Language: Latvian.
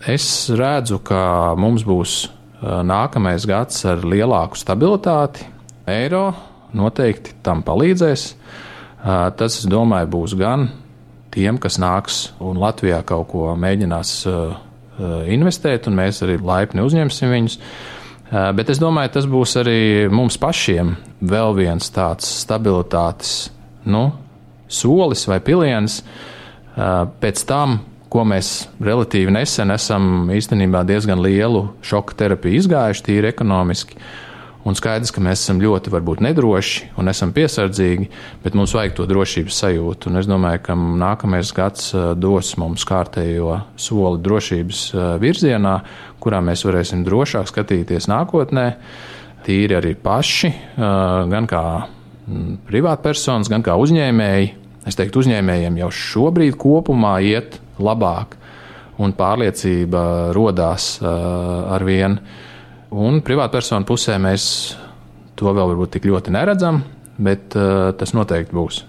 Es redzu, ka mums būs nākamais gads ar lielāku stabilitāti. Eiro noteikti tam palīdzēs. Tas, es domāju, būs gan tiem, kas nāks un Latvijā kaut ko mēģinās investēt, un mēs arī laipni uzņemsim viņus. Bet es domāju, tas būs arī mums pašiem vēl viens tāds stabilitātes solis vai piliens pēc tam, ko mēs relatīvi nesen esam īstenībā diezgan lielu šoka terapiju izgājuši tīri ekonomiski. Un skaidrs, ka mēs esam ļoti varbūt nedroši un esam piesardzīgi, bet mums vajag to drošības sajūtu. Un es domāju, ka nākamais gads dos mums kārtējo soli drošības virzienā, kurā mēs varēsim drošāk skatīties nākotnē, tīri arī paši, gan kā privātpersonas, gan kā uzņēmēji. Es teiktu, uzņēmējiem jau šobrīd kopumā iet labāk, un pārliecība rodās ar vienu. Un privātpersonu pusē mēs to vēl varbūt tik ļoti neredzam, bet tas noteikti būs.